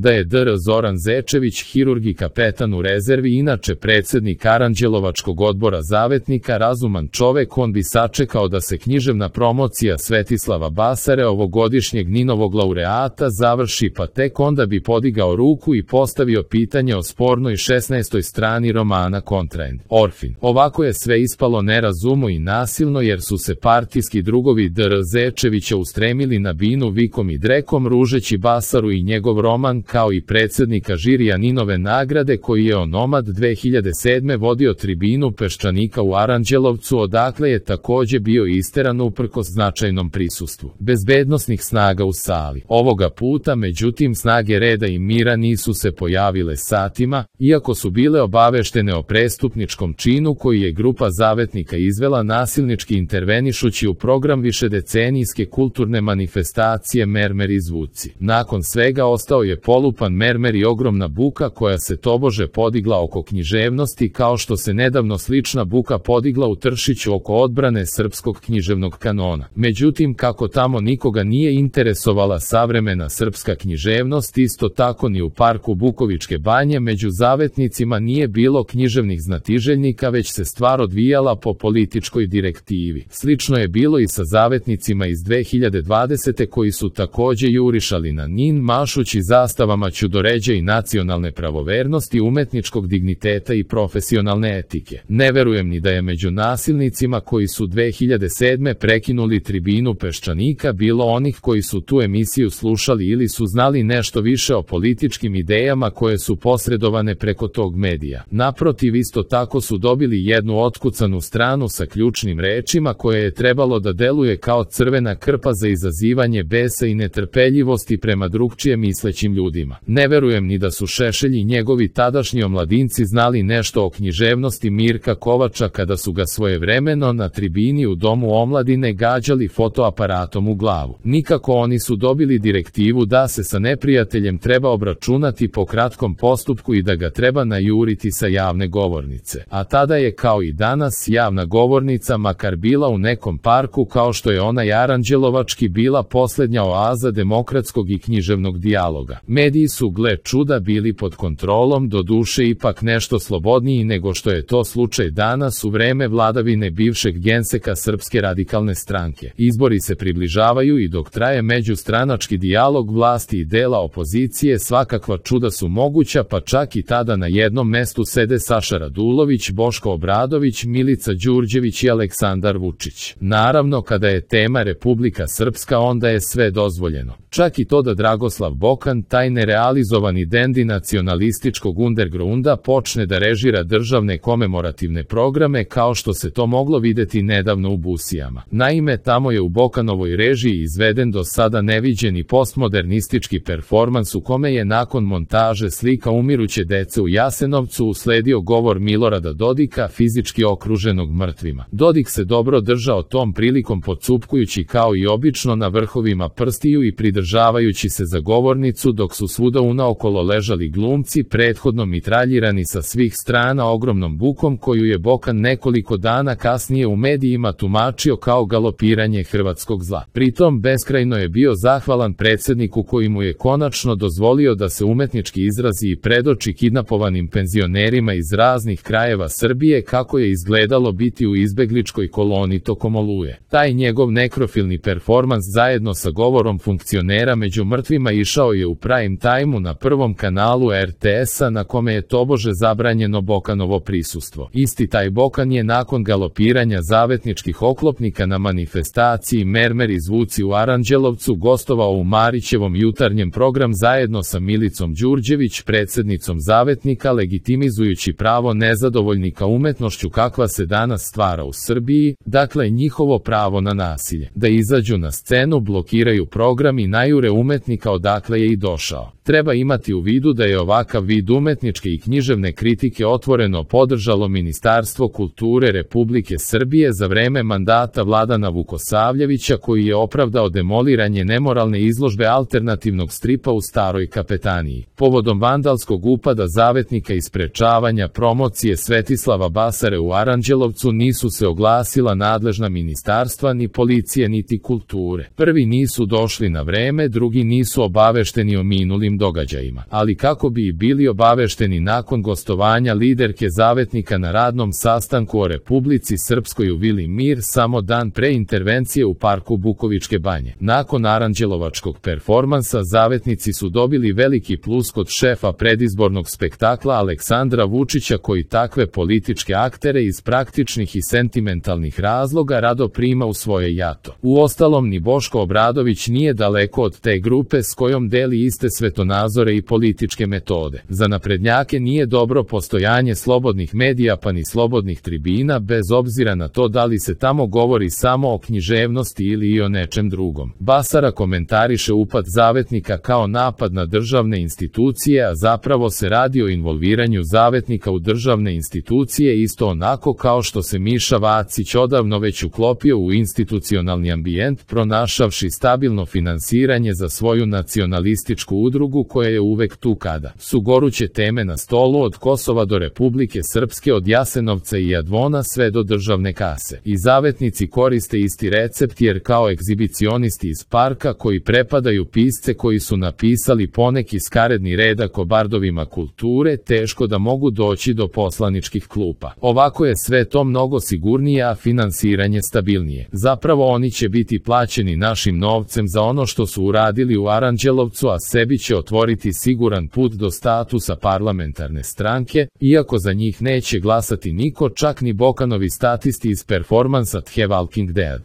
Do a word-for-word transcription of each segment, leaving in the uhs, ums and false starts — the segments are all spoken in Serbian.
Da je dr Zoran Zečević, hirurg i kapetan u rezervi, inače predsednik Aranđelovačkog odbora zavetnika, razuman čovek, on bi sačekao da se književna promocija Svetislava Basare, ovogodišnjeg Ninovog laureata, završi, pa tek onda bi podigao ruku i postavio pitanje o spornoj šesnaestoj strani romana Kontraend. Orfin. Ovako je sve ispalo nerazumno i nasilno, jer su se partijski drugovi dr Zečevića ustremili na binu vikom i drekom, ružeći Basaru i njegov roman, kao i predsednika žirija Ninove nagrade, koji je onomad dve hiljade sedme vodio tribinu Peščanika u Aranđelovcu, odakle je takođe bio isteran uprkos značajnom prisustvu bezbednosnih snaga u sali. Ovoga puta, međutim, snage reda i mira nisu se pojavile satima, iako su bile obaveštene o prestupničkom činu koji je grupa zavetnika izvela, nasilnički intervenišući u program višedecenijske kulturne manifestacije Mermer i zvuci. Nakon svega ostao je polupan mermer i ogromna buka koja se tobože podigla oko književnosti, kao što se nedavno slična buka podigla u Tršiću oko odbrane srpskog književnog kanona. Međutim, kako tamo nikoga nije interesovala savremena srpska književnost, isto tako ni u parku Bukovičke banje među zavetnicima nije bilo književnih znatiželjnika, već se stvar odvijala po političkoj direktivi. Slično je bilo i sa zavetnicima iz dve hiljade dvadesete koji su takođe jurišali na Nin, mašući zastavama ćudoređa i nacionalne pravovernosti, umetničkog digniteta i profesionalne etike. Ne verujem ni da je među nasilnicima koji su dve hiljade sedme prekinuli tribinu Peščanika bilo onih koji su tu emisiju slušali ili su znali nešto više o političkim idejama koje su posredovane preko tog medija. Naprotiv, isto tako su dobili jednu otkucanu stranu sa ključnim rečima koje je trebalo da deluje kao crvena krpa za izazivanje besa i netrpeljivosti prema drugčije mislećim ljudima. Ne verujem ni da su Šešelj i njegovi tadašnji omladinci znali nešto o književnosti Mirka Kovača kada su ga svojevremeno na tribini u Domu omladine gađali fotoaparatom u glavu. Nikako oni su dobili direktivu da se sa neprijateljem treba obračunati po kratkom postupku i da ga treba najuriti sa javne govornice. A tada je, kao i danas, javna govornica makar bila u nekom parku kao što je onaj Aranđelovački, bila poslednja oaza demokratskog i književnog dijaloga. Mediji su, gle čuda, bili pod kontrolom, do duše ipak nešto slobodniji nego što je to slučaj danas u vreme vladavine bivšeg genseka Srpske radikalne stranke. Izbori se približavaju i dok traje međustranački dijalog vlasti i dela opozicije, svakakva čuda su moguća, pa čak i tada na jednom mestu sede Saša Radulović, Boško Obradović, Milica Đurđević i Aleksandar Vučić. Naravno, kada je tema Republika Srpska, onda je sve dozvoljeno. Čak i to da Dragoslav Bokan, taj nerealizovani dendi nacionalističkog undergrunda, počne da režira državne komemorativne programe kao što se to moglo videti nedavno u Busijama. Naime, tamo je u Bokanovoj režiji izveden do sada neviđeni postmodernistički performans u kome je nakon montaže slika umiruće dece u Jasenovcu usledio govor Milorada Dodika, fizički okruženog mrtvima. Dodik se dobro držao tom prilikom, pocupkujući kao i obično na vrhovima prstiju i pridržavajući se za govornicu, dok su svuda unaokolo ležali glumci, prethodno mitraljirani sa svih strana ogromnom bukom koju je Bokan nekoliko dana kasnije u medijima tumačio kao galopiranje hrvatskog zla. Pritom beskrajno je bio zahvalan predsedniku koji mu je konačno dozvolio da se umetnički izrazi i predoči kidnapovanim penzionerima iz raznih krajeva Srbije kako je izgledalo biti u izbegličkoj koloni tokom Oluje. Taj njegov nekrofilni performans zajedno sa govorom funkcionera među mrtvima išao je u prime time-u na prvom kanalu er te esa, na kome je tobože zabranjeno Bokanovo prisustvo. Isti taj Bokan je nakon galopiranja zavetničkih oklopnika na manifestaciji Mermer i zvuci u Aranđelovcu gostovao u Marićevom jutarnjem program zajedno sa Milicom Đurđević, predsednicom zavetnika, legitimizujući pravo nezadovoljnika umetnošću kakva se danas stvara u Srbiji, dakle njihovo pravo na nasilje, da izađu na scenu, blokiraju program i najure umetnika odakle je i došao. Treba imati u vidu da je ovakav vid umetničke i književne kritike otvoreno podržalo Ministarstvo kulture Republike Srbije za vreme mandata Vladana Vukosavljevića, koji je opravdao demoliranje nemoralne izložbe alternativnog stripa u Staroj kapetaniji. Povodom vandalskog upada zavetnika i sprečavanja promocije Svetislava Basare u Aranđelovcu nisu se oglasila nadležna ministarstva, ni policije, niti kulture. Prvi nisu došli na vreme, drugi nisu obavešteni o minu minulim događajima. Ali kako bi i bili obavešteni nakon gostovanja liderke Zavetnika na radnom sastanku o Republici Srpskoj u Vili Mir samo dan pre intervencije u parku Bukovičke banje. Nakon aranđelovačkog performansa Zavetnici su dobili veliki plus kod šefa predizbornog spektakla Aleksandra Vučića, koji takve političke aktere iz praktičnih i sentimentalnih razloga rado prima u svoje jato. Uostalom, ni Boško Obradović nije daleko od te grupe s kojom deli iste svetonazore i političke metode. Za naprednjake nije dobro postojanje slobodnih medija pa ni slobodnih tribina, bez obzira na to da li se tamo govori samo o književnosti ili i o nečem drugom. Basara komentariše upad Zavetnika kao napad na državne institucije, a zapravo se radi o involviranju Zavetnika u državne institucije isto onako kao što se Miša Vacić odavno već uklopio u institucionalni ambijent, pronašavši stabilno finansiranje za svoju nacionalističku udrugu koja je uvek tu kada su goruće teme na stolu, od Kosova do Republike Srpske, od Jasenovca i Jadvona sve do državne kase. I Zavetnici koriste isti recept, jer kao egzibicionisti iz parka koji prepadaju pisce koji su napisali poneki skaredni redak o bardovima kulture, teško da mogu doći do poslaničkih klupa. Ovako je sve to mnogo sigurnije, a finansiranje stabilnije. Zapravo oni će biti plaćeni našim novcem za ono što su uradili u Aranđelovcu, a sebi će otvoriti siguran put do statusa parlamentarne stranke, iako za njih neće glasati niko, čak ni Bokanovi statisti iz performansa The Walking Dead.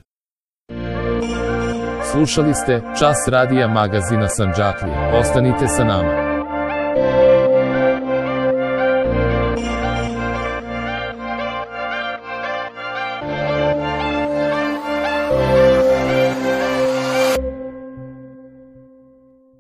Slušali ste Čas radija magazina Sandžaklija. Ostanite sa nama.